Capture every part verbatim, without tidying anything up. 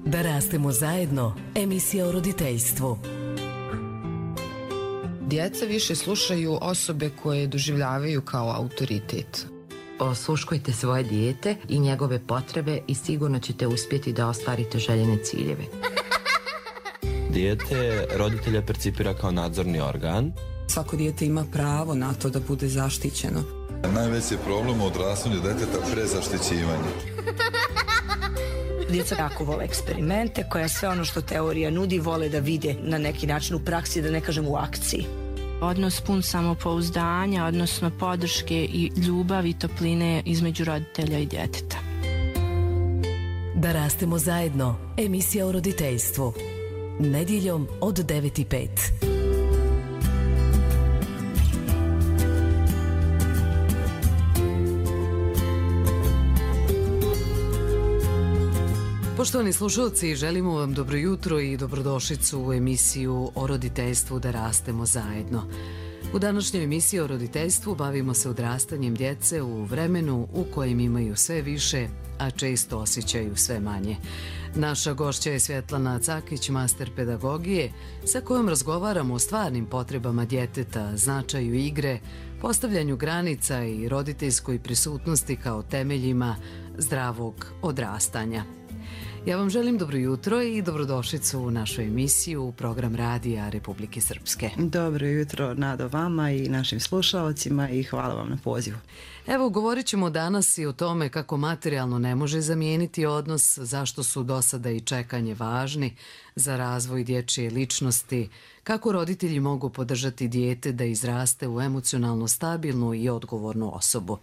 Da rastemo zajedno, emisija o roditeljstvu. Djeca više slušaju osobe koje doživljavaju kao autoritet. Osluškujte svoje dijete i njegove potrebe i sigurno ćete uspjeti da ostvarite željene ciljeve. Dijete roditelja percipira kao nadzorni organ. Svako dijete ima pravo na to da bude zaštićeno. Najveći je problem u odrastanju djeteta prezaštićivanje. Djeca jako vole eksperimente, koja sve ono što teorija nudi vole da vide na neki način u praksi, da ne kažem u akciji. Odnos pun samopouzdanja, odnosno podrške i ljubavi i topline između roditelja i djeteta. Da rastemo zajedno, emisija o roditeljstvu. Nedjeljom od devet i pet. Poštovani slušalci, želimo vam dobro jutro i dobrodošlicu u emisiju o roditeljstvu Da rastemo zajedno. U današnjoj emisiji o roditeljstvu bavimo se odrastanjem djece u vremenu u kojem imaju sve više, a često osjećaju sve manje. Naša gošća je Svjetlana Cakić, master pedagogije, sa kojom razgovaramo o stvarnim potrebama djeteta, značaju igre, postavljanju granica i roditeljskoj prisutnosti kao temeljima zdravog odrastanja. Ja vam želim dobro jutro i dobrodošlicu u našu emisiju u program Radija Republike Srpske. Dobro jutro, Nado, vama i našim slušalcima i hvala vam na pozivu. Evo, govorit ćemo danas i o tome kako materijalno ne može zamijeniti odnos, zašto su dosada i čekanje važni za razvoj dječje ličnosti, kako roditelji mogu podržati dijete da izraste u emocionalno stabilnu i odgovornu osobu.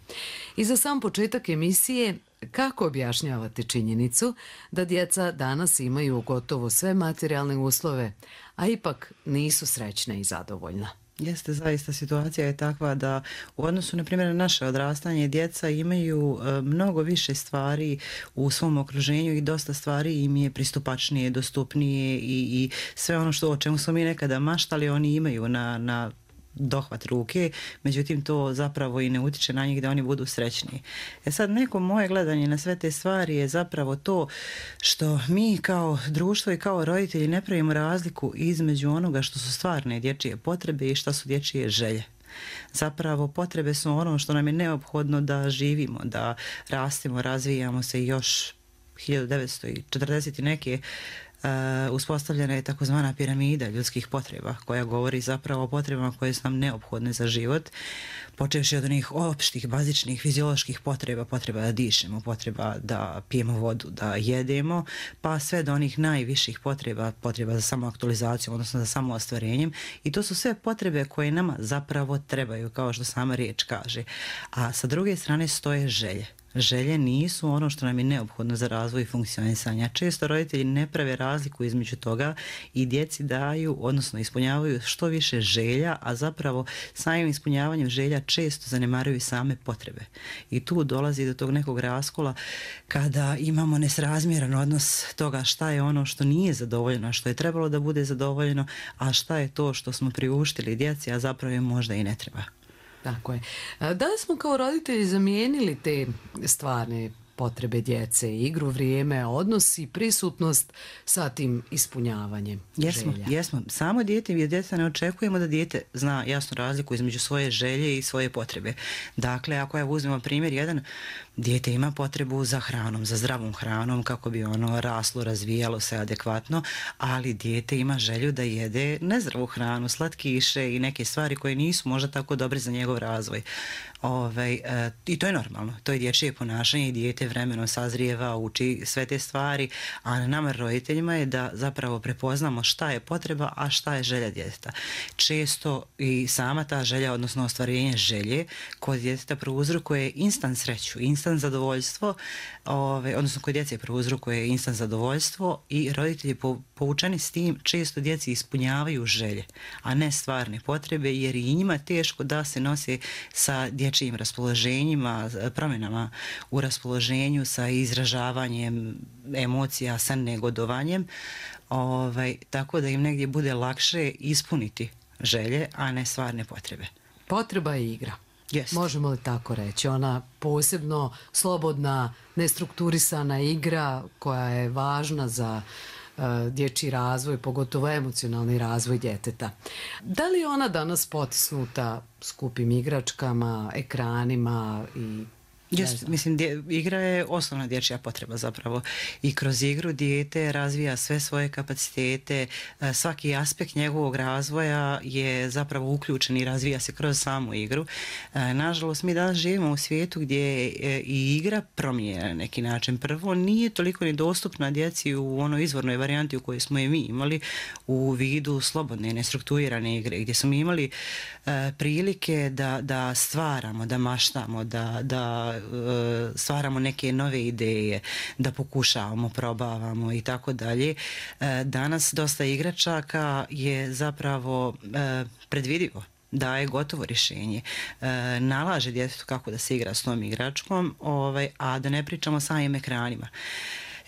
I za sam početak emisije, kako objašnjavate činjenicu da djeca danas imaju gotovo sve materijalne uslove, a ipak nisu srećna i zadovoljna? Jeste, zaista situacija je takva da u odnosu na primjer na naše odrastanje djeca imaju e, mnogo više stvari u svom okruženju i dosta stvari im je pristupačnije, dostupnije i, i sve ono što o čemu smo mi nekada maštali oni imaju na, na dohvat ruke, međutim to zapravo i ne utiče na njih da oni budu srećniji. E sad, neko moje gledanje na sve te stvari je zapravo to što mi kao društvo i kao roditelji ne pravimo razliku između onoga što su stvarne dječje potrebe i što su dječje želje. Zapravo potrebe su ono što nam je neophodno da živimo, da rastemo, razvijamo se. Još hiljadu devetsto četrdeset i neke Uh, uspostavljena je takozvana piramida ljudskih potreba koja govori zapravo o potrebama koje su nam neophodne za život, počevši od onih opštih, bazičnih, fizioloških potreba, potreba da dišemo, potreba da pijemo vodu, da jedemo, pa sve do onih najviših potreba, potreba za samoaktualizaciju, odnosno za samoostvarenjem, i to su sve potrebe koje nama zapravo trebaju, kao što sama riječ kaže. A sa druge strane stoje želje. Želje nisu ono što nam je neophodno za razvoj i funkcionisanja. Često roditelji ne prave razliku između toga i djeci daju, odnosno ispunjavaju što više želja, a zapravo samim ispunjavanjem želja često zanemaruju same potrebe. I tu dolazi do tog nekog raskola kada imamo nesrazmjeran odnos toga šta je ono što nije zadovoljeno, što je trebalo da bude zadovoljeno, a šta je to što smo priuštili djeci, a zapravo im možda i ne treba. Tako je. Da li smo kao roditelji zamijenili te stvarne potrebe djece, igru, vrijeme, odnos i prisutnost sa tim ispunjavanjem jesmo, želja? Jesmo. Samo dijete, jer djeca ne očekujemo da dijete zna jasnu razliku između svoje želje i svoje potrebe. Dakle, ako ja uzmemo primjer jedan, dijete ima potrebu za hranom, za zdravom hranom kako bi ono raslo, razvijalo se adekvatno, ali dijete ima želju da jede nezdravu hranu, slatkiše i neke stvari koje nisu možda tako dobre za njegov razvoj. Ove, e, I to je normalno, to je dječje ponašanje i dijete vremenom sazrijeva, uči sve te stvari, a na nama roditeljima je da zapravo prepoznamo šta je potreba, a šta je želja djeteta. Često i sama ta želja, odnosno ostvarenje želje kod djeteta prouzrokuje instant sreću, instant zadovoljstvo, ove, odnosno kod djece prouzrokuje instant zadovoljstvo i roditelji po, poučeni s tim često djeci ispunjavaju želje, a ne stvarne potrebe, jer i njima teško da se nose sa dječjim raspoloženjima, promjenama u raspoloženju, sa izražavanjem emocija, sa negodovanjem, ovaj, tako da im negdje bude lakše ispuniti želje, a ne stvarne potrebe. Potreba je igra. Yes. Možemo li tako reći? Ona posebno slobodna, nestrukturisana igra koja je važna za uh, dječji razvoj, pogotovo emocionalni razvoj djeteta. Da li je ona danas potisnuta skupim igračkama, ekranima i... Yes, mislim, dje, igra je osnovna dječja potreba zapravo i kroz igru dijete razvija sve svoje kapacitete, svaki aspekt njegovog razvoja je zapravo uključen i razvija se kroz samu igru. Nažalost, mi danas živimo u svijetu gdje je i igra promijenjena na neki način. Prvo, nije toliko ni dostupna djeci u onoj izvornoj varijanti u kojoj smo je mi imali u vidu slobodne, nestrukturirane igre, gdje smo imali uh, prilike da, da stvaramo, da maštamo, da, da stvaramo neke nove ideje, da pokušavamo, probavamo i tako dalje. Danas dosta igračaka je zapravo predvidivo, daje gotovo rješenje, nalaže djetetu kako da se igra s tom igračkom, ovaj, a da ne pričamo o samim ekranima.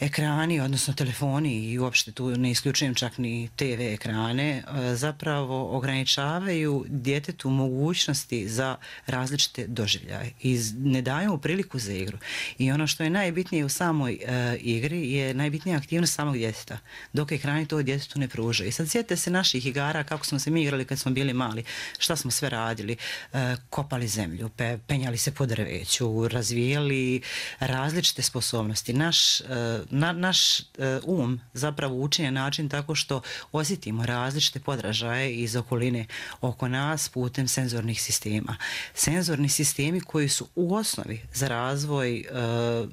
Ekrani, odnosno telefoni i uopšte tu ne isključujem čak ni te ve ekrane, zapravo ograničavaju djetetu mogućnosti za različite doživljaje i ne daju mu priliku za igru. I ono što je najbitnije u samoj uh, igri je najbitnija aktivnost samog djeteta, dok ekrani to djetetu ne pružaju. I sad sjetite se naših igara, kako smo se mi igrali kad smo bili mali, šta smo sve radili, uh, kopali zemlju, pe, penjali se po drveću, razvijali različite sposobnosti. Naš uh, Na, naš uh, um zapravo uči na način tako što osjetimo različite podražaje iz okoline oko nas putem senzornih sistema. Senzorni sistemi koji su u osnovi za razvoj uh,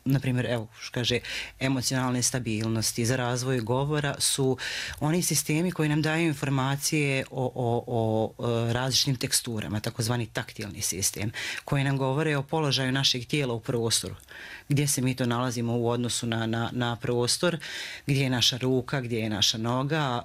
na primjer, evo, što kaže, emocionalne stabilnosti, za razvoj govora su oni sistemi koji nam daju informacije o, o, o, o različitim teksturama, takozvani taktilni sistem, koji nam govore o položaju našeg tijela u prostoru, gdje se mi to nalazimo u odnosu na, na, na prostor, gdje je naša ruka, gdje je naša noga,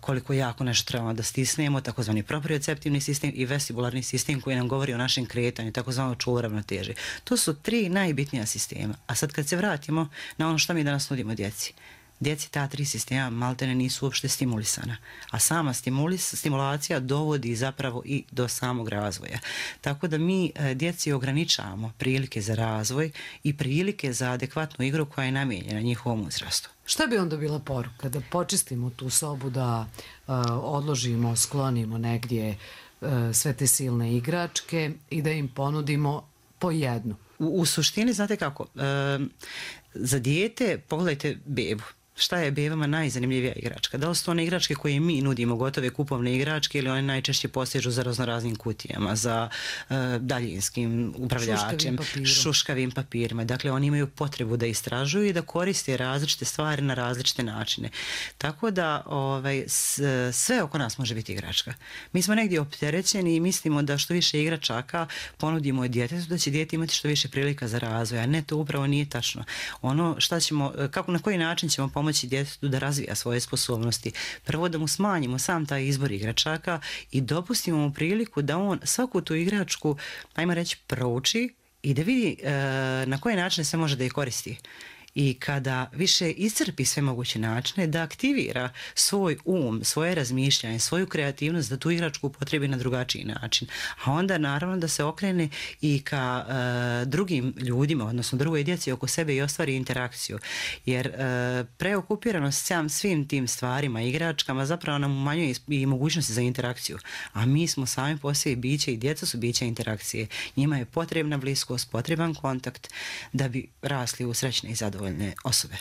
koliko jako nešto trebamo da stisnemo, takozvani proprioceptivni sistem i vestibularni sistem koji nam govori o našem kretanju, takozvano čuvar ravnoteže. To su tri najbitnija sistema. A sad kad se vratimo na ono što mi danas nudimo djeci, djeci ta tri sistema maltene nisu uopšte stimulisana, a sama stimulis, stimulacija dovodi zapravo i do samog razvoja. Tako da mi djeci ograničavamo prilike za razvoj i prilike za adekvatnu igru koja je namijenjena njihovom uzrastu. Šta bi onda bila poruka? Da počistimo tu sobu, da uh, odložimo, sklonimo negdje uh, sve te silne igračke i da im ponudimo po jednu? U, u suštini, znate kako, e, za dijete, pogledajte bebu. Šta je bebama najzanimljivija igračka? Da li su one igračke koje mi nudimo, gotove kupovne igračke, ili one najčešće postižu za raznoraznim kutijama, za uh, daljinskim upravljačem, šuškavim, šuškavim papirima. Dakle, oni imaju potrebu da istražuju i da koriste različite stvari na različite načine. Tako da ovaj, sve oko nas može biti igračka. Mi smo negdje opterećeni i mislimo da što više igračaka ponudimo djetetu, da će dijete imati što više prilika za razvoj, a ne, to upravo nije tačno. Ono šta ćemo, kako, na koji način ćemo pomoći djetetu da razvija svoje sposobnosti. Prvo da mu smanjimo sam taj izbor igračaka i dopustimo mu priliku da on svaku tu igračku, ajmo reći, prouči i da vidi e, na koji način se može da je koristi. I kada više iscrpi sve moguće načine, da aktivira svoj um, svoje razmišljanje, svoju kreativnost, da tu igračku upotrebi na drugačiji način. A onda naravno da se okrene i ka uh, drugim ljudima, odnosno drugoj djeci oko sebe i ostvari interakciju. Jer uh, preokupiranost sam svim tim stvarima, igračkama, zapravo nam umanjuje i mogućnosti za interakciju. A mi smo sami po sebi biće i djeca su biće interakcije. Njima je potrebna bliskost, potreban kontakt da bi rasli u srećne i zadovoljne osobe.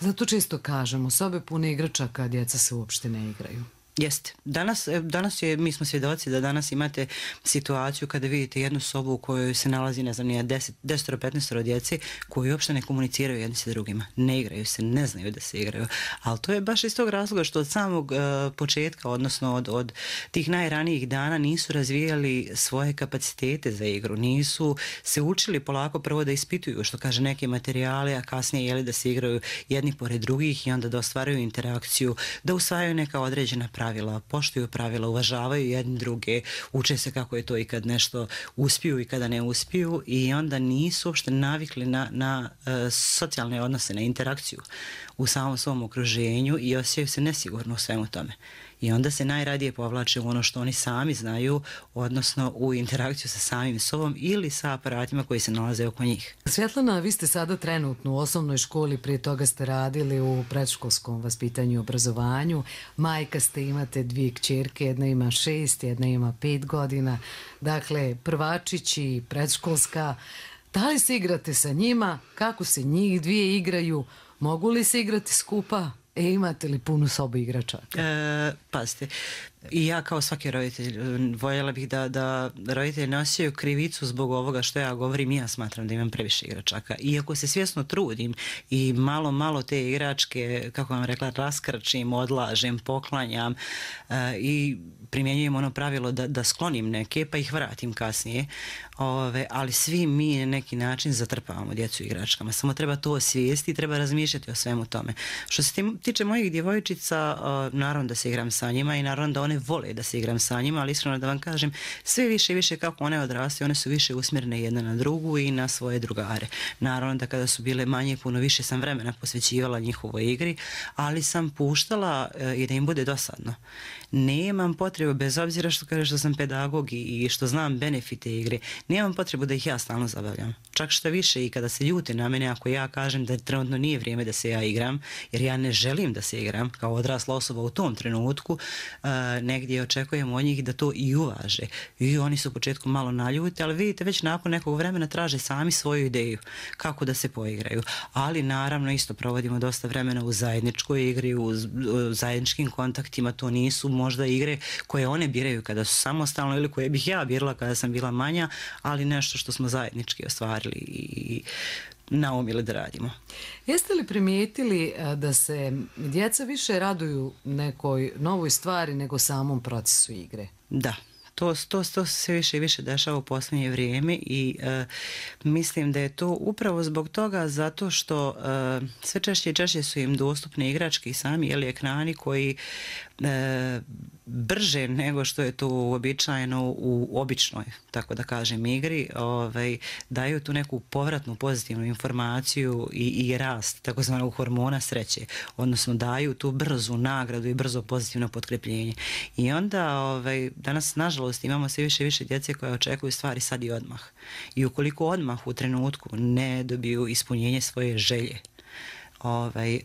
Zato često kažemo, sobe pune igračaka, djeca se uopšte ne igraju. Jeste. Danas, danas je, mi smo svjedoci da danas imate situaciju kada vidite jednu sobu u kojoj se nalazi, ne znam, nije deset do petnaest djece koji uopšte ne komuniciraju jedni sa drugima. Ne igraju se, ne znaju da se igraju. Ali to je baš iz tog razloga što od samog uh, početka, odnosno od, od tih najranijih dana nisu razvijali svoje kapacitete za igru. Nisu se učili polako prvo da ispituju, što kaže, neke materijale, a kasnije jeli da se igraju jedni pored drugih i onda da ostvaraju interakciju, da usvajaju neka određena pravila. Pravila, poštuju pravila, uvažavaju jedni druge, uče se kako je to i kad nešto uspiju i kada ne uspiju i onda nisu uopšte navikli na, na uh, socijalne odnose, na interakciju u samom svom okruženju i osjećaju se nesigurno u svemu tome. I onda se najradije povlače u ono što oni sami znaju, odnosno u interakciju sa samim sobom ili sa aparatima koji se nalaze oko njih. Svjetlana, vi ste sada trenutno u osnovnoj školi, prije toga ste radili u predškolskom vaspitanju i obrazovanju. Majka ste, imate dvije kćerke, jedna ima šest, jedna ima pet godina. Dakle, prvačići, predškolska. Da li se igrate sa njima? Kako se njih dvije igraju? Mogu li se igrati skupa? E, imate li punu sobu igračaka? E, pazite, i ja kao svaki roditelj voljela bih da, da roditelji ne osjećaju krivicu zbog ovoga što ja govorim. Ja smatram da imam previše igračaka. Iako se svjesno trudim i malo, malo te igračke, kako vam rekla, raskrčim, odlažem, poklanjam uh, i primjenjujem ono pravilo da, da sklonim neke pa ih vratim kasnije. Ove, ali svi mi na neki način zatrpavamo djecu igračkama. Samo treba to osvijesti i treba razmišljati o svemu tome. Što se tiče mojih djevojčica, uh, naravno da se igram sa njima i naravno da one vole da se igram sa njima, ali iskreno da vam kažem, sve više i više kako one odrastaju, one su više usmjerene jedna na drugu i na svoje drugare. Naravno da kada su bile manje, puno više sam vremena posvećivala njihovoj igri, ali sam puštala uh, i da im bude dosadno. Nemam potrebu, bez obzira što kaže što sam pedagog i što znam benefite igre, nemam potrebu da ih ja stalno zabavljam. Čak što više i kada se ljute na mene, ako ja kažem da trenutno nije vrijeme da se ja igram, jer ja ne želim da se igram kao odrasla osoba u tom trenutku, uh, negdje očekujem od njih da to i uvaže. I oni su u početku malo naljuti, ali vidite već nakon nekog vremena traže sami svoju ideju kako da se poigraju. Ali naravno isto provodimo dosta vremena u zajedničkoj igri, u, u zajedničkim kontaktima. To nisu možda igre koje one biraju kada su samostalno ili koje bih ja birala kada sam bila manja, ali nešto što smo zajednički ostvarili i naumili da radimo. Jeste li primijetili da se djeca više raduju nekoj novoj stvari nego samom procesu igre? Da. To, to, to se više i više dešava u posljednje vrijeme i e, mislim da je to upravo zbog toga zato što e, sve češće i češće su im dostupne igračke i sami ili ekrani koji e, brže nego što je to uobičajeno u običnoj, tako da kažem, igri, ovaj, daju tu neku povratnu pozitivnu informaciju i, i rast takozvanog hormona sreće, odnosno daju tu brzu nagradu i brzo pozitivno potkrepljenje. I onda ovaj, danas nažalost imamo sve više i više djece koje očekuju stvari sad i odmah. I ukoliko odmah u trenutku ne dobiju ispunjenje svoje želje, Ovaj, e,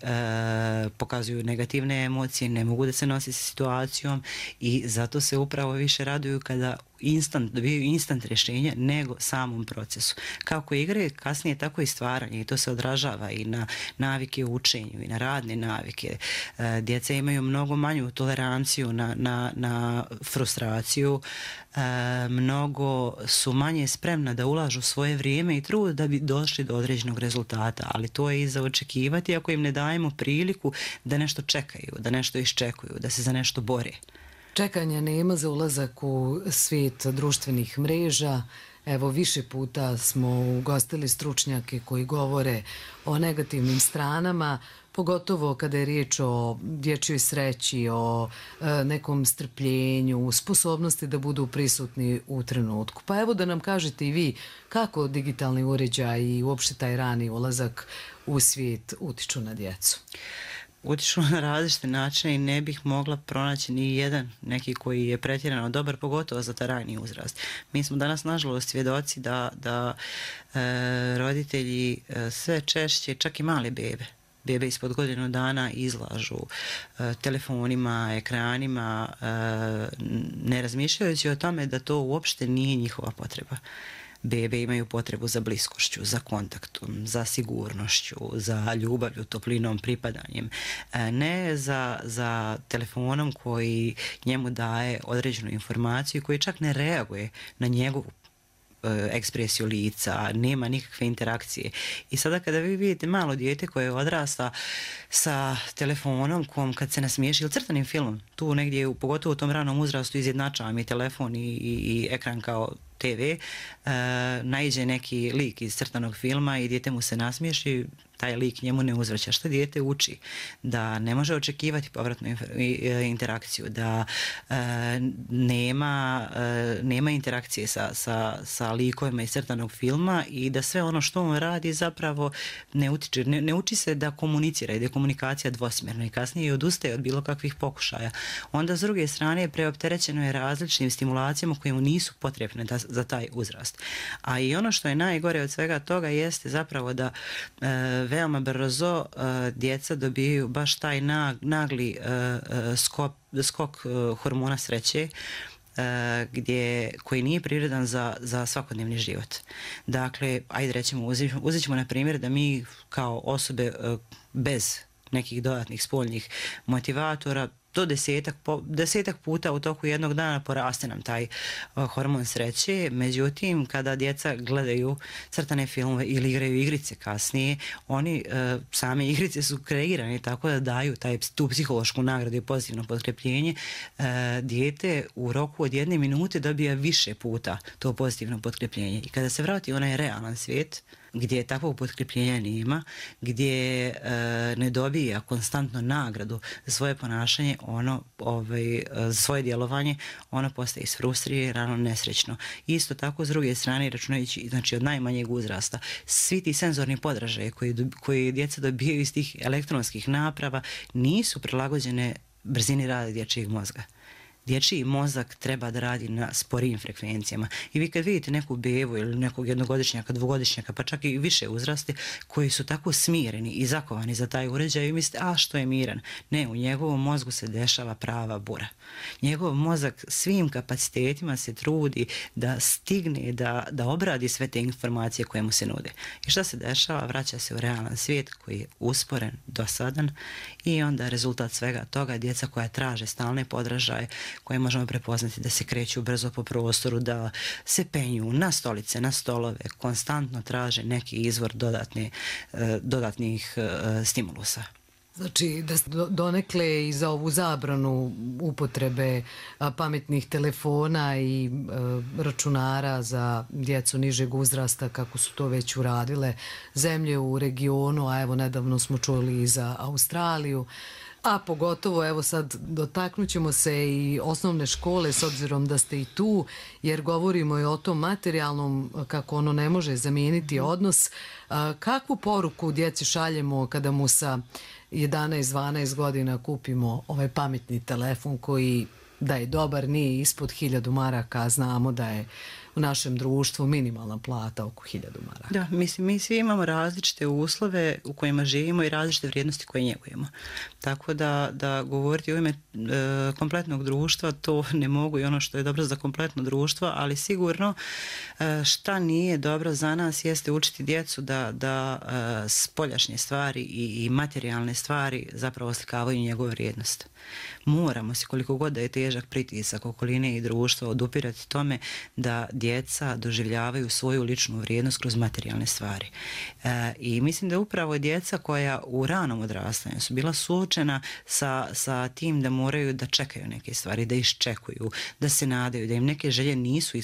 pokazuju negativne emocije, ne mogu da se nosi sa situacijom i zato se upravo više raduju kada instant, dobiju instant rješenje nego samom procesu. Kako igre, kasnije tako i stvaranje i to se odražava i na navike u učenju i na radne navike. E, djeca imaju mnogo manju toleranciju na, na, na frustraciju, e, mnogo su manje spremna da ulažu svoje vrijeme i trud da bi došli do određenog rezultata, ali to je i za očekivati ako im ne dajemo priliku da nešto čekaju, da nešto iščekuju, da se za nešto bore. Čekanja nema za ulazak u svijet društvenih mreža. Evo, više puta smo ugostili stručnjake koji govore o negativnim stranama, pogotovo kada je riječ o dječjoj sreći, o e, nekom strpljenju, sposobnosti da budu prisutni u trenutku. Pa evo da nam kažete i vi kako digitalni uređaj i uopšte taj rani ulazak u svijet utiču na djecu. Utiču na različite načine i ne bih mogla pronaći ni jedan neki koji je pretjerano dobar, pogotovo za taj rani uzrast. Mi smo danas nažalost svjedoci da, da e, roditelji e, sve češće, čak i male bebe, bebe ispod godinu dana izlažu e, telefonima, ekranima, e, ne razmišljajući o tome da to uopšte nije njihova potreba. Bebe imaju potrebu za bliskošću, za kontaktom, za sigurnošću, za ljubavlju, toplinom, pripadanjem. Ne za, za telefonom koji njemu daje određenu informaciju i koji čak ne reaguje na njegovu ekspresiju lica, nema nikakve interakcije. I sada kada vi vidite malo dijete koje odrasta sa telefonom kom kad se nasmiješi ili crtanim filmom, tu negdje, pogotovo u tom ranom uzrastu, izjednačava mi telefon i, i, i ekran kao te ve, uh, naiđe neki lik iz crtanog filma i dijete mu se nasmiješi, taj lik njemu ne uzvraća. Što dijete uči? Da ne može očekivati povratnu interakciju, da e, nema, e, nema interakcije sa, sa, sa likovima iz crtanog filma i da sve ono što on radi zapravo ne, utiče, ne, ne uči se da komunicira i da je komunikacija dvosmjerna i kasnije odustaje od bilo kakvih pokušaja. Onda s druge strane preopterećeno je različitim stimulacijama koje mu nisu potrebne da, za taj uzrast. A i ono što je najgore od svega toga jeste zapravo da e, veoma brzo uh, djeca dobijaju baš taj nag, nagli uh, uh, skop, skok uh, hormona sreće uh, gdje, koji nije prirodan za, za svakodnevni život. Dakle, ajde rećemo, uzet, uzet ćemo na primjer da mi kao osobe uh, bez nekih dodatnih spoljnih motivatora do desetak, po, desetak puta u toku jednog dana poraste nam taj uh, hormon sreće. Međutim, kada djeca gledaju crtane filmove ili igraju igrice kasnije, oni uh, same igrice su kreirane tako da daju taj, tu psihološku nagradu i pozitivno potkrepljenje. Uh, dijete u roku od jedne minute dobija više puta to pozitivno potkrepljenje. I kada se vrati onaj realan svijet, gdje takvog potkrepljenja nema, gdje e, ne dobija konstantno nagradu za svoje ponašanje, ono, ovaj, za svoje djelovanje, ono postaje isfrustrirano, nesrećno. Isto tako, s druge strane, računajući, znači od najmanjeg uzrasta, svi ti senzorni podražaje koji, koji djeca dobijaju iz tih elektronskih naprava nisu prilagođene brzini rada dječjeg mozga. Dječji mozak treba da radi na sporijim frekvencijama. I vi kad vidite neku bebu ili nekog jednogodišnjaka, dvogodišnjaka, pa čak i više uzrasti, koji su tako smireni i zakovani za taj uređaj i mislite, a što je miran? Ne, u njegovom mozgu se dešava prava bura. Njegov mozak svim kapacitetima se trudi da stigne, da, da obradi sve te informacije koje mu se nude. I šta se dešava? Vraća se u realan svijet koji je usporen, dosadan i onda rezultat svega toga djeca koja traže stalne podražaje, koje možemo prepoznati da se kreću brzo po prostoru, da se penju na stolice, na stolove, konstantno traže neki izvor dodatne, dodatnih stimulusa. Znači da donekle i za ovu zabranu upotrebe pametnih telefona i računara za djecu nižeg uzrasta, kako su to već uradile zemlje u regionu, a evo nedavno smo čuli i za Australiju. A pogotovo, evo sad dotaknut ćemo se i osnovne škole s obzirom da ste i tu, jer govorimo i o tom materijalnom, kako ono ne može zamijeniti odnos. Kakvu poruku djeci šaljemo kada mu sa jedanaest dvanaest godina kupimo ovaj pametni telefon koji da je dobar, nije ispod hiljadu maraka, a znamo da je u našem društvu minimalna plata oko hiljadu maraka. Da, mislim, mi svi imamo različite uslove u kojima živimo i različite vrijednosti koje njegujemo. Tako da, da govoriti u ime e, kompletnog društva, to ne mogu i ono što je dobro za kompletno društvo, ali sigurno e, šta nije dobro za nas jeste učiti djecu da, da e, spoljašnje stvari i, i materijalne stvari zapravo oslikavaju njegovu vrijednost. Moramo se, koliko god da je težak pritisak okoline i društva, odupirati tome da djeca doživljavaju svoju ličnu vrijednost kroz materijalne stvari. E, I mislim da upravo djeca koja u ranom odrastanju su bila suočena sa, sa tim da moraju da čekaju neke stvari, da iščekuju, da se nadaju, da im neke želje nisu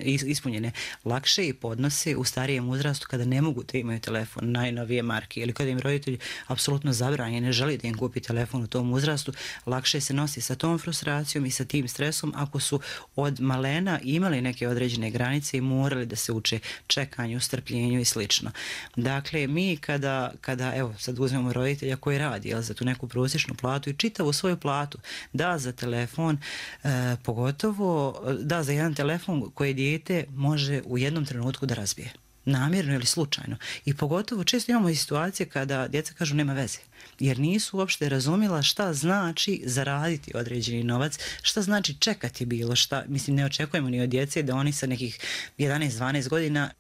ispunjene, lakše i podnose u starijem uzrastu kada ne mogu da imaju telefon najnovije marke ili kada im roditelji apsolutno zabranje, ne želi da im kupi telefon u tom uzrastu, lakše se nosi sa tom frustracijom i sa tim stresom ako su od malena imali neke određene granice i morali da se uče čekanju, strpljenju i slično. Dakle, mi kada, kada evo, sad uzmemo roditelja koji radi, jel, za tu neku prosječnu platu i čitavu svoju platu da za telefon, e, pogotovo da za jedan telefon koji dijete može u jednom trenutku da razbije. Namjerno ili slučajno. I pogotovo često imamo i situacije kada djeca kažu nema veze, jer nisu uopšte razumjela šta znači zaraditi određeni novac, šta znači čekati bilo šta. Mislim, ne očekujemo ni od djece da oni sa nekih jedanaest dvanaest godina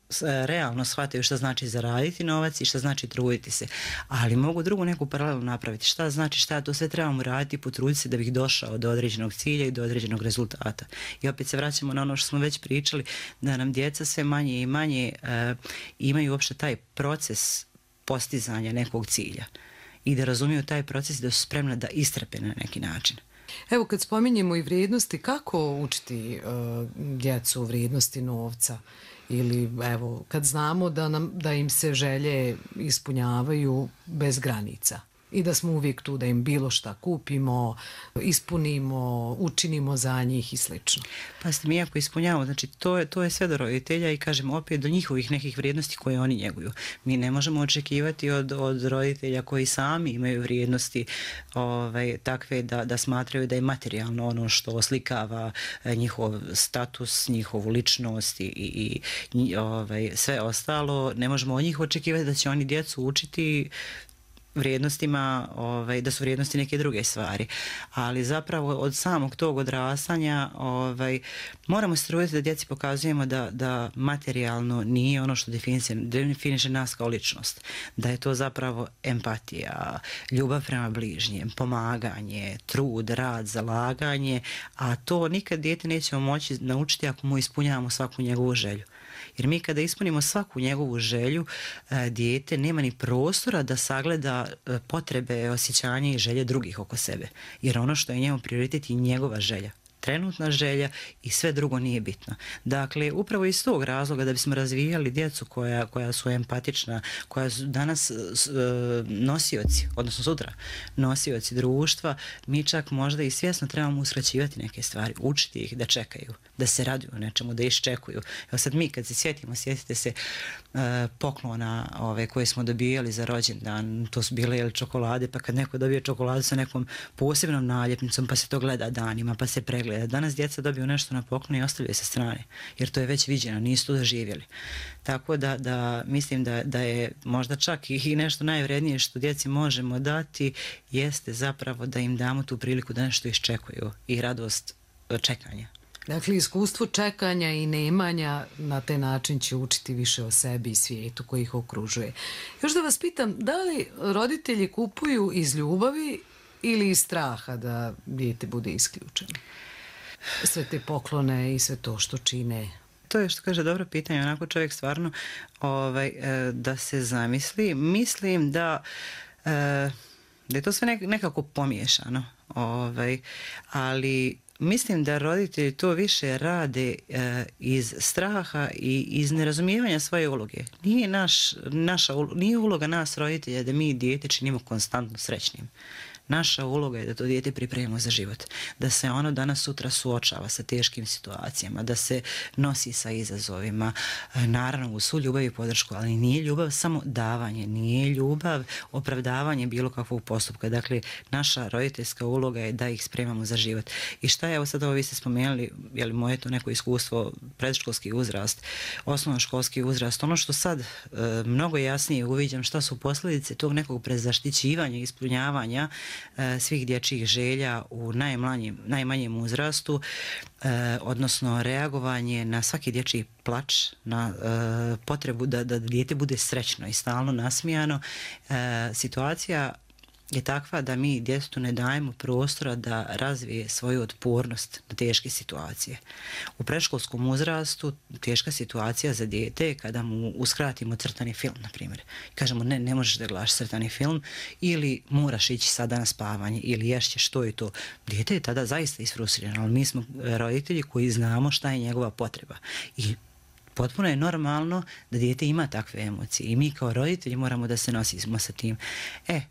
realno shvataju šta znači zaraditi novac i šta znači truditi se. Ali mogu drugu neku paralelu napraviti. Šta znači šta to sve trebamo raditi i potruditi se da bih došao do određenog cilja i do određenog rezultata. I opet se vraćamo na ono što smo već pričali, da nam djeca sve manje i manje e, imaju uopšte taj proces postizanja nekog cilja i da razumiju taj proces, da su spremni da istrpe na neki način. Evo kad spominjemo i vrijednosti, kako učiti uh, djecu vrijednosti novca? Ili evo kad znamo da, nam, da im se želje ispunjavaju bez granica i da smo uvijek tu da im bilo šta kupimo, ispunimo, učinimo za njih i slično. Pa ste mi ako ispunjavamo, znači to je, to je sve do roditelja i kažem opet do njihovih nekih vrijednosti koje oni njeguju. Mi ne možemo očekivati od, od roditelja koji sami imaju vrijednosti ovaj, takve da, da smatraju da je materijalno ono što oslikava njihov status, njihovu ličnost i, i, i ovaj, sve ostalo. Ne možemo od njih očekivati da će oni djecu učiti vrijednostima, ovaj, da su vrijednosti neke druge stvari. Ali zapravo od samog tog odrastanja ovaj, moramo se truditi da djeci pokazujemo da, da materijalno nije ono što definiše, definiše nas kao ličnost. Da je to zapravo empatija, ljubav prema bližnjem, pomaganje, trud, rad, zalaganje, a to nikad dijete nećemo moći naučiti ako mu ispunjavamo svaku njegovu želju. Jer mi kada ispunimo svaku njegovu želju, dijete nema ni prostora da sagleda potrebe, osjećanja i želje drugih oko sebe. Jer ono što je njemu prioritet je njegova želja. Trenutna želja i sve drugo nije bitno. Dakle, upravo iz tog razloga da bismo razvijali djecu koja, koja su empatična, koja su danas e, nosioci, odnosno sutra nosioci društva, mi čak možda i svjesno trebamo uskraćivati neke stvari, učiti ih da čekaju, da se raduju nečemu, da iščekuju. Evo sad mi kad se sjetimo, sjetite se e, poklona ove, koje smo dobijali za rođendan, to su bile jeli, čokolade, pa kad neko dobije čokoladu sa nekom posebnom naljepnicom, pa se to gleda danima, pa se pregleda. Danas djeca dobiju nešto na poklon i ostavljaju sa strane, jer to je već viđeno, nisu to doživjeli. Tako da, da mislim da, da je možda čak i nešto najvrednije što djeci možemo dati jeste zapravo da im damo tu priliku da nešto iščekuju i radost čekanja. Dakle, iskustvo čekanja i nemanja na taj način će učiti više o sebi i svijetu koji ih okružuje. Još da vas pitam, da li roditelji kupuju iz ljubavi ili iz straha da dijete bude isključeno? Sve te poklone i sve to što čine. To je što kaže dobro pitanje, onako čovjek stvarno ovaj, da se zamisli. Mislim da, da je to sve nekako pomiješano, ovaj, ali mislim da roditelji to više rade e, iz straha i iz nerazumijevanja svoje uloge. Nije, naš, naša, nije uloga nas roditelja da mi dijete činimo konstantno srećnim. Naša uloga je da to dijete pripremimo za život, da se ono danas sutra suočava sa teškim situacijama, da se nosi sa izazovima, naravno u svu ljubav i podršku, ali nije ljubav samo davanje, nije ljubav opravdavanje bilo kakvog postupka. Dakle, naša roditeljska uloga je da ih spremamo za život. I šta je, evo sad ovo vi ste spomenuli, je li moje to neko iskustvo, predškolski uzrast, osnovnoškolski uzrast, ono što sad e, mnogo jasnije uviđam šta su posljedice tog nekog prezaštićivanja i ispunjavanja svih dječjih želja u najmanjem, najmanjem uzrastu, eh, odnosno reagovanje na svaki dječji plač, na eh, potrebu da, da dijete bude srećno i stalno nasmijano. Eh, situacija je takva da mi djetetu ne dajemo prostora da razvije svoju otpornost na teške situacije. U predškolskom uzrastu teška situacija za dijete je kada mu uskratimo crtani film, na primjer. Kažemo ne, ne možeš da gledaš crtani film ili moraš ići sada na spavanje ili ješće, što je to. Dijete je tada zaista isfrustrirano, ali mi smo roditelji koji znamo šta je njegova potreba. I potpuno je normalno da dijete ima takve emocije i mi kao roditelji moramo da se nosimo sa tim. E,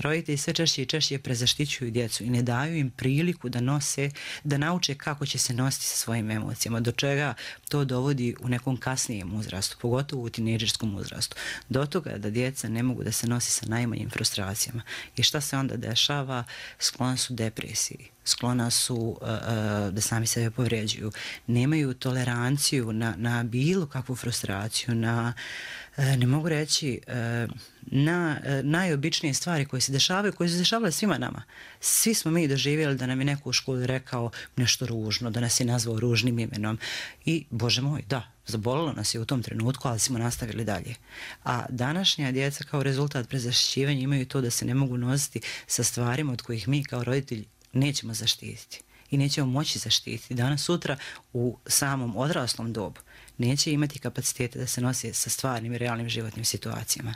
roditelji sve češće i češće prezaštićuju djecu i ne daju im priliku da nose, da nauče kako će se nositi sa svojim emocijama, do čega to dovodi u nekom kasnijem uzrastu, pogotovo u tinejdžerskom uzrastu. Do toga da djeca ne mogu da se nosi sa najmanjim frustracijama. I šta se onda dešava? Sklona su depresiji, sklona su uh, uh, da sami sebe povređuju, nemaju toleranciju na, na bilo kakvu frustraciju, na, uh, ne mogu reći, uh, na uh, najobičnije stvari koje se dešavaju, koje se dešavale svima nama. Svi smo mi doživjeli da nam je neko u školi rekao nešto ružno, da nas je nazvao ružnim imenom i, Bože moj, da, zabolilo nas je u tom trenutku, ali smo nastavili dalje. A današnja djeca kao rezultat prezaštićivanja imaju to da se ne mogu nositi sa stvarima od kojih mi kao roditelji nećemo zaštititi i nećemo moći zaštititi. Danas sutra u samom odraslom dobu neće imati kapacitete da se nosi sa stvarnim i realnim životnim situacijama.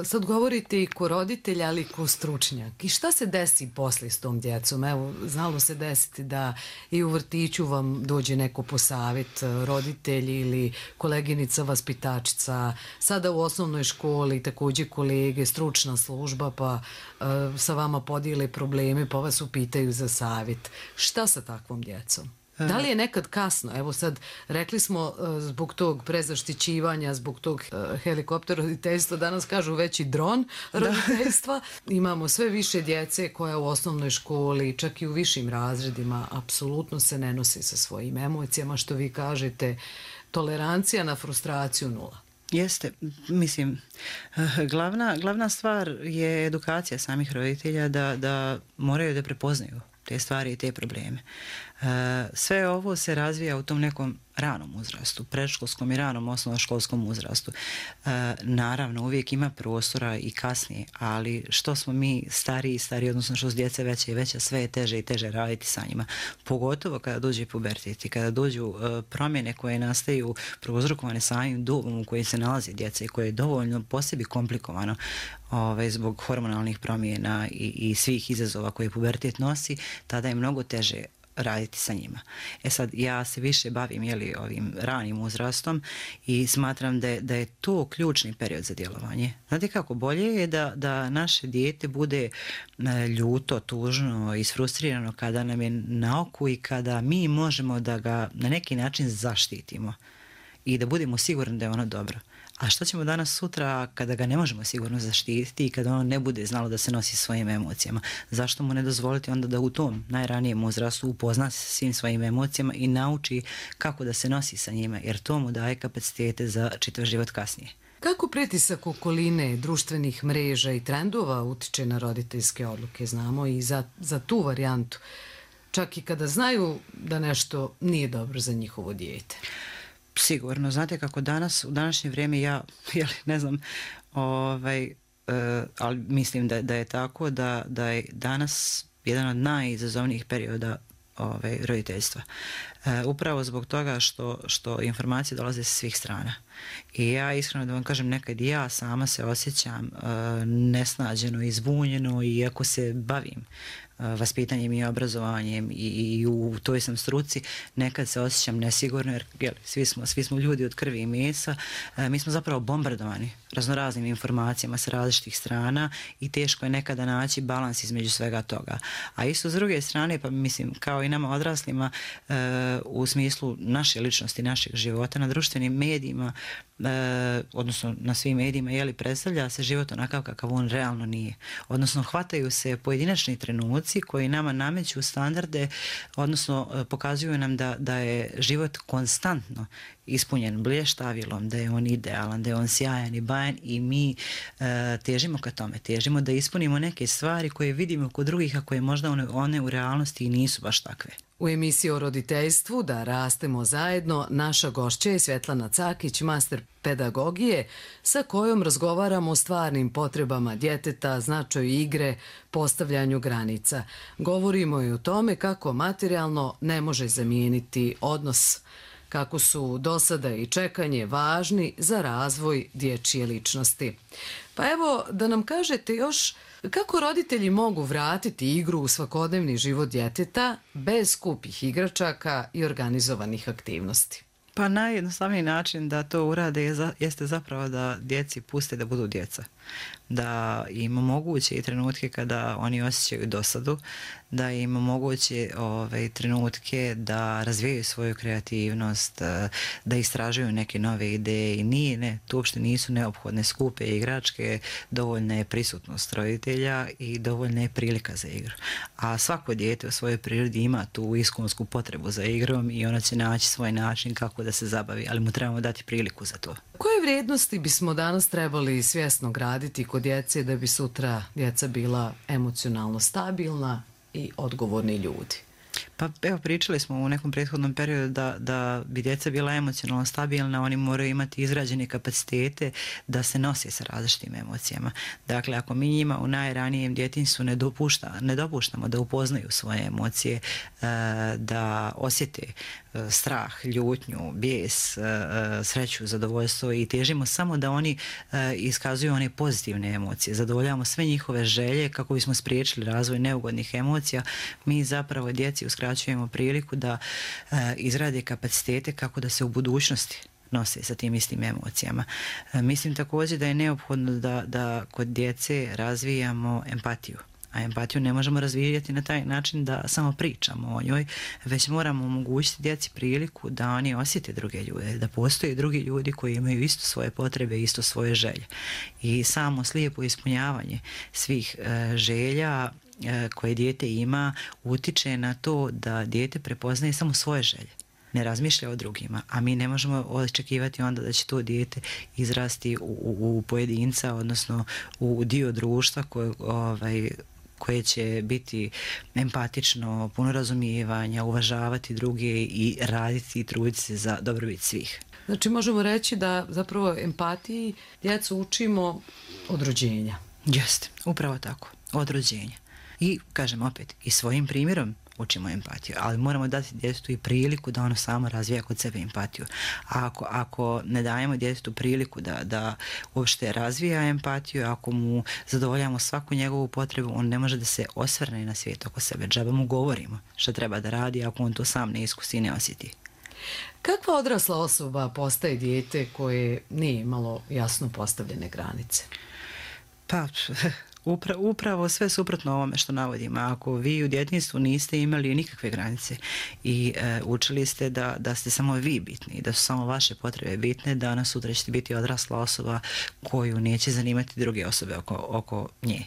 Sad govorite i ko roditelj, ali i ko stručnjak. I šta se desi poslije s tom djecom? Evo, znalo se desiti da i u vrtiću vam dođe neko po savjet, roditelj ili koleginica vaspitačica, sada u osnovnoj školi također kolege, stručna služba, pa uh, sa vama podijele probleme, pa vas upitaju za savjet. Šta sa takvom djecom? Da li je nekad kasno? Evo sad, rekli smo uh, zbog tog prezaštićivanja, zbog tog uh, helikopter roditeljstva, danas kažu već i dron roditeljstva. Imamo sve više djece koja u osnovnoj školi, čak i u višim razredima, apsolutno se ne nosi sa svojim emocijama, što vi kažete, tolerancija na frustraciju nula. Jeste, mislim, glavna, glavna stvar je edukacija samih roditelja da, da moraju da prepoznaju te stvari i te probleme. Sve ovo se razvija u tom nekom ranom uzrastu, predškolskom i ranom osnovnoškolskom uzrastu. Naravno, uvijek ima prostora i kasnije, ali što smo mi stariji i stariji, odnosno što su djece veće i veće, sve je teže i teže raditi sa njima. Pogotovo kada dođe pubertet i kada dođu promjene koje nastaju prouzrokovane samim dobom u kojoj se nalazi djeca i koje je dovoljno po sebi komplikovano ovaj, zbog hormonalnih promjena i, i svih izazova koje pubertet nosi, tada je mnogo teže raditi sa njima. E sad, ja se više bavim jeli, ovim ranim uzrastom i smatram da je, da je to ključni period za djelovanje. Znate kako, bolje je da, da naše dijete bude ljuto, tužno, isfrustrirano kada nam je na oku i kada mi možemo da ga na neki način zaštitimo i da budemo sigurni da je ono dobro. A što ćemo danas sutra kada ga ne možemo sigurno zaštititi i kada ono ne bude znalo da se nosi svojim emocijama? Zašto mu ne dozvoliti onda da u tom najranijem uzrastu upozna se svim svojim emocijama i nauči kako da se nosi sa njima, jer to mu daje kapacitete za čitav život kasnije. Kako pritisak okoline, društvenih mreža i trendova utiče na roditeljske odluke? Znamo i za, za tu varijantu, čak i kada znaju da nešto nije dobro za njihovo dijete. Sigurno, znate kako danas, u današnje vrijeme ja, jel, ne znam, ovaj, uh, ali mislim da, da je tako, da, da je danas jedan od najizazovnijih perioda ovaj, roditeljstva. Uh, upravo zbog toga što, što informacije dolaze sa svih strana. I ja iskreno da vam kažem, nekad i ja sama se osjećam uh, nesnađeno i zbunjeno, iako se bavim vaspitanjem i obrazovanjem i, i u toj sam struci, nekad se osjećam nesigurno jer jel, svi, smo, svi smo ljudi od krvi i mesa, e, mi smo zapravo bombardovani raznoraznim informacijama sa različitih strana i teško je nekada naći balans između svega toga. A isto s druge strane, pa mislim kao i nama odraslima e, u smislu naše ličnosti, našeg života na društvenim medijima, e, odnosno na svim medijima, jeli, predstavlja se život onakav kakav on realno nije. Odnosno hvataju se pojedinačni trenuci koji nama nameću standarde, odnosno pokazuju nam da, da je život konstantno ispunjen blještavilom, da je on idealan, da je on sjajan i bajan i mi e, težimo ka tome, težimo da ispunimo neke stvari koje vidimo kod drugih, a koje možda one, one u realnosti i nisu baš takve. U emisiji o roditeljstvu Da rastemo zajedno naša gošća je Svetlana Cakić, master pedagogije, sa kojom razgovaramo o stvarnim potrebama djeteta, značaju igre, postavljanju granica. Govorimo i o tome kako materijalno ne može zamijeniti odnos, kako su dosada i čekanje važni za razvoj dječje ličnosti. Pa evo da nam kažete još kako roditelji mogu vratiti igru u svakodnevni život djeteta bez skupih igračaka i organizovanih aktivnosti. Pa najjednostavniji način da to urade je za, jeste zapravo da djeci puste da budu djeca. Da im omoguće i trenutke kada oni osjećaju dosadu, da im omoguće ove, trenutke da razvijaju svoju kreativnost, da istražuju neke nove ideje i nije, ne, to uopšte nisu neophodne skupe igračke, dovoljna je prisutnost roditelja i dovoljna je prilika za igru. A svako dijete u svojoj prirodi ima tu iskonsku potrebu za igrom i ona će naći svoj način kako da se zabavi, ali mu trebamo dati priliku za to. Koje vrijednosti bismo danas trebali svjesno graditi kod djece da bi sutra djeca bila emocionalno stabilna i odgovorni ljudi? Pa evo, pričali smo u nekom prethodnom periodu da, da bi djeca bila emocionalno stabilna, oni moraju imati izrađene kapacitete da se nose sa različitim emocijama. Dakle, ako mi njima u najranijem djetinjstvu ne, dopušta, ne dopuštamo da upoznaju svoje emocije, da osjete strah, ljutnju, bijes, sreću, zadovoljstvo i težimo samo da oni iskazuju one pozitivne emocije, zadovoljavamo sve njihove želje kako bismo spriječili razvoj neugodnih emocija, mi zapravo djeci uskraćujemo priliku da izrade kapacitete kako da se u budućnosti nose sa tim istim emocijama. Mislim također da je neophodno da, da kod djece razvijamo empatiju. A empatiju ne možemo razvijati na taj način da samo pričamo o njoj, već moramo omogućiti djeci priliku da oni osjete druge ljude, da postoje drugi ljudi koji imaju isto svoje potrebe, isto svoje želje. I samo slijepo ispunjavanje svih e, želja e, koje dijete ima utiče na to da dijete prepoznaje samo svoje želje, ne razmišlja o drugima, a mi ne možemo očekivati onda da će to dijete izrasti u, u, u pojedinca, odnosno u dio društva koje, ovaj, koje će biti empatično, puno razumijevanja, uvažavati druge i raditi i truditi se za dobrobit svih. Znači možemo reći da zapravo empatiji djecu učimo od rođenja. Jeste, upravo tako, od rođenja. I kažem opet, i svojim primjerom učimo empatiju, ali moramo dati djetetu i priliku da ono samo razvija kod sebe empatiju. A ako, ako ne dajemo djetetu priliku da, da uopšte razvija empatiju, ako mu zadovoljamo svaku njegovu potrebu, on ne može da se osvrne na svijet oko sebe. Džaba mu govorimo šta treba da radi ako on to sam ne iskusi i ne osjeti. Kakva odrasla osoba postaje dijete koje nije imalo jasno postavljene granice? Pa... Upra, upravo sve suprotno ovome što navodimo. Ako vi u djetinjstvu niste imali nikakve granice i e, učili ste da, da ste samo vi bitni, da su samo vaše potrebe bitne, danas sutra ćete biti odrasla osoba koju neće zanimati druge osobe oko, oko nje,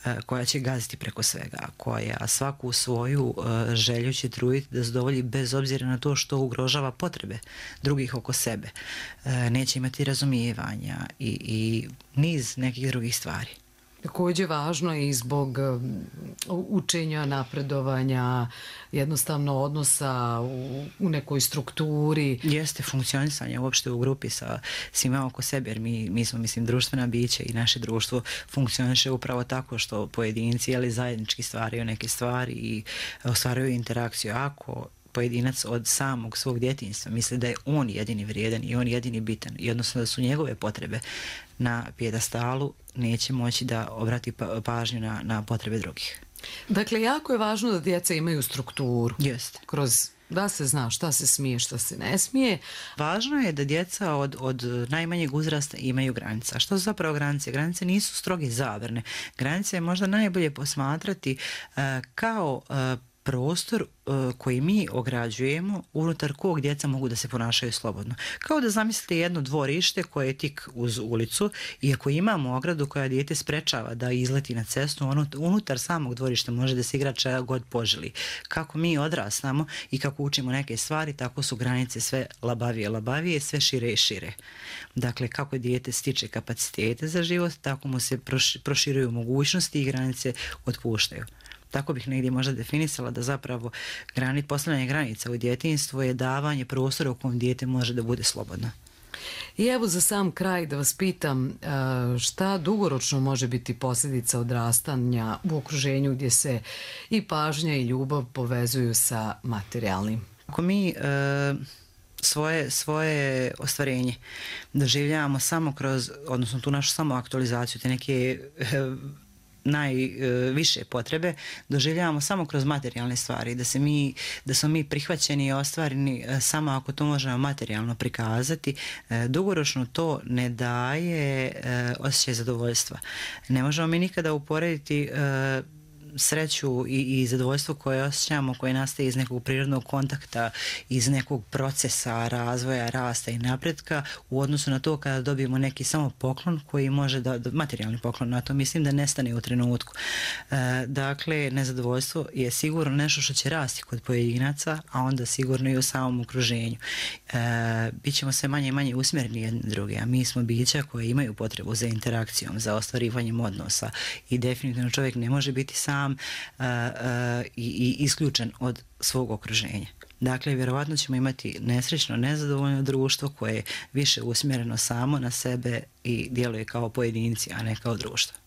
e, koja će gaziti preko svega, koja svaku svoju e, želju će truditi da zadovolji bez obzira na to što ugrožava potrebe drugih oko sebe. E, neće imati razumijevanja i, i niz nekih drugih stvari. Također važno je i zbog učenja, napredovanja, jednostavno odnosa u, u nekoj strukturi. Jeste funkcionisanje uopšte u grupi sa svima oko sebe, jer mi, mi smo, mislim, društvena bića i naše društvo funkcioniše upravo tako što pojedinci, ali zajednički stvaraju neke stvari i ostvaruju interakciju. Ako pojedinac od samog svog djetinjstva misli da je on jedini vrijedan i on jedini bitan i odnosno da su njegove potrebe na pjedestalu, neće moći da obrati pažnju na, na potrebe drugih. Dakle, jako je važno da djeca imaju strukturu. Jeste. Kroz da se zna šta se smije, šta se ne smije. Važno je da djeca od, od najmanjeg uzrasta imaju granice. A što su zapravo granice? Granice nisu stroge zabrane. Granice je možda najbolje posmatrati uh, kao uh, prostor uh, koji mi ograđujemo unutar kog djeca mogu da se ponašaju slobodno. Kao da zamislite jedno dvorište koje je tik uz ulicu i ako imamo ogradu koja dijete sprečava da izleti na cestu, ono, unutar samog dvorišta može da se igra čega god poželi. Kako mi odrastamo i kako učimo neke stvari, tako su granice sve labavije, labavije, sve šire i šire. Dakle, kako dijete stiče kapacitete za život, tako mu se proširuju mogućnosti i granice otpuštaju. Tako bih negdje možda definisala da zapravo grani, postavljanje granica u djetinjstvu je davanje prostora u kojem dijete može da bude slobodno. I evo za sam kraj da vas pitam šta dugoročno može biti posljedica odrastanja u okruženju gdje se i pažnja i ljubav povezuju sa materijalnim? Ako mi e, svoje, svoje ostvarenje doživljavamo samo kroz, odnosno tu našu samo aktualizaciju, te neke e, najviše potrebe doživljavamo samo kroz materijalne stvari, da se mi, da smo mi prihvaćeni i ostvareni samo ako to možemo materijalno prikazati, dugoročno to ne daje osjećaj zadovoljstva. Ne možemo mi nikada uporediti sreću i, i zadovoljstvo koje osjećamo, koje nastaje iz nekog prirodnog kontakta, iz nekog procesa razvoja, rasta i napretka u odnosu na to kada dobijemo neki samo poklon koji može da, materijalni poklon, na to mislim da nestane u trenutku. E, dakle, nezadovoljstvo je sigurno nešto što će rasti kod pojedinaca, a onda sigurno i u samom okruženju. E, bićemo sve manje i manje usmjereni jedni druge, a mi smo bića koje imaju potrebu za interakcijom, za ostvarivanjem odnosa i definitivno čovjek ne može biti sam sam uh, uh, i, i isključen od svog okruženja. Dakle, vjerovatno ćemo imati nesrećno, nezadovoljno društvo koje je više usmjereno samo na sebe i djeluje kao pojedinci, a ne kao društvo.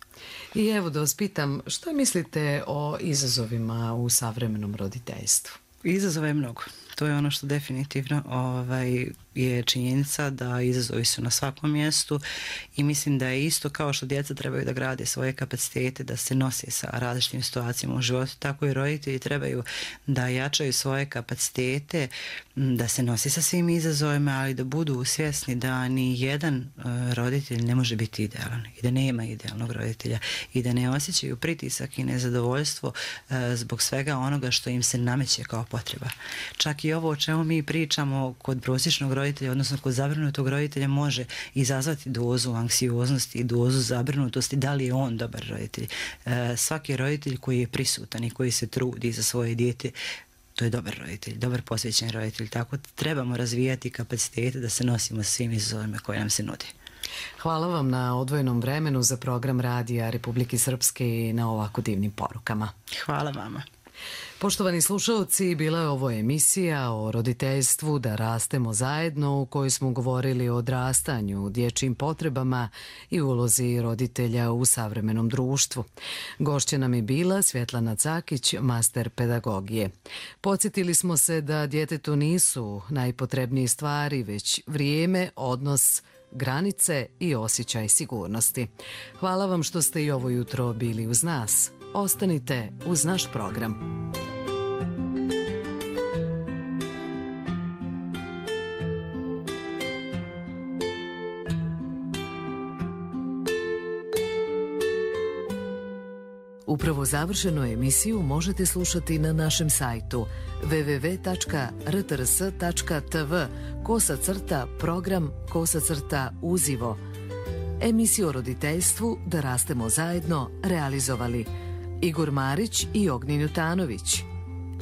I evo da vas pitam, što mislite o izazovima u savremenom roditeljstvu? Izazova je mnogo. To je ono što definitivno ovaj, je činjenica da izazovi su na svakom mjestu i mislim da je isto kao što djeca trebaju da grade svoje kapacitete, da se nose sa različitim situacijama u životu, tako i roditelji trebaju da jačaju svoje kapacitete, da se nosi sa svim izazovima, ali da budu svjesni da ni jedan uh, roditelj ne može biti idealan i da nema idealnog roditelja i da ne osjećaju pritisak i nezadovoljstvo uh, zbog svega onoga što im se nameće kao potreba. Čak i ovo o čemu mi pričamo kod prosječnog roditelja, odnosno kod zabrinutog roditelja, može izazvati dozu anksioznosti i dozu zabrinutosti da li je on dobar roditelj. E, svaki roditelj koji je prisutan i koji se trudi za svoje dijete, to je dobar roditelj, dobar posvećen roditelj. Tako trebamo razvijati kapacitete da se nosimo s svim izazovima koje nam se nude. Hvala vam na odvojenom vremenu za program Radija Republike Srpske i na ovako divnim porukama. Hvala vama. Poštovani slušalci, bila je ovo emisija o roditeljstvu Da rastemo zajedno, u kojoj smo govorili o odrastanju, dječjim potrebama i ulozi roditelja u savremenom društvu. Gošća nam je bila Svjetlana Cakić, master pedagogije. Podsjetili smo se da djetetu nisu najpotrebnije stvari, već vrijeme, odnos, granice i osjećaj sigurnosti. Hvala vam što ste i ovo jutro bili uz nas. Ostanite uz naš program. Upravo završenu emisiju možete slušati na našem sajtu w w w tačka r t r s tačka t v kosa crta program kosa crta uzivo. Emisiju o roditeljstvu Da rastemo zajedno realizovali Igor Marić i Ognjen Jutanović.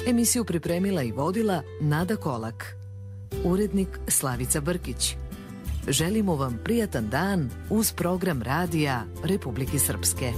Emisiju pripremila i vodila Nada Kolak. Urednik Slavica Brkić. Želimo vam prijatan dan uz program Radija Republike Srpske.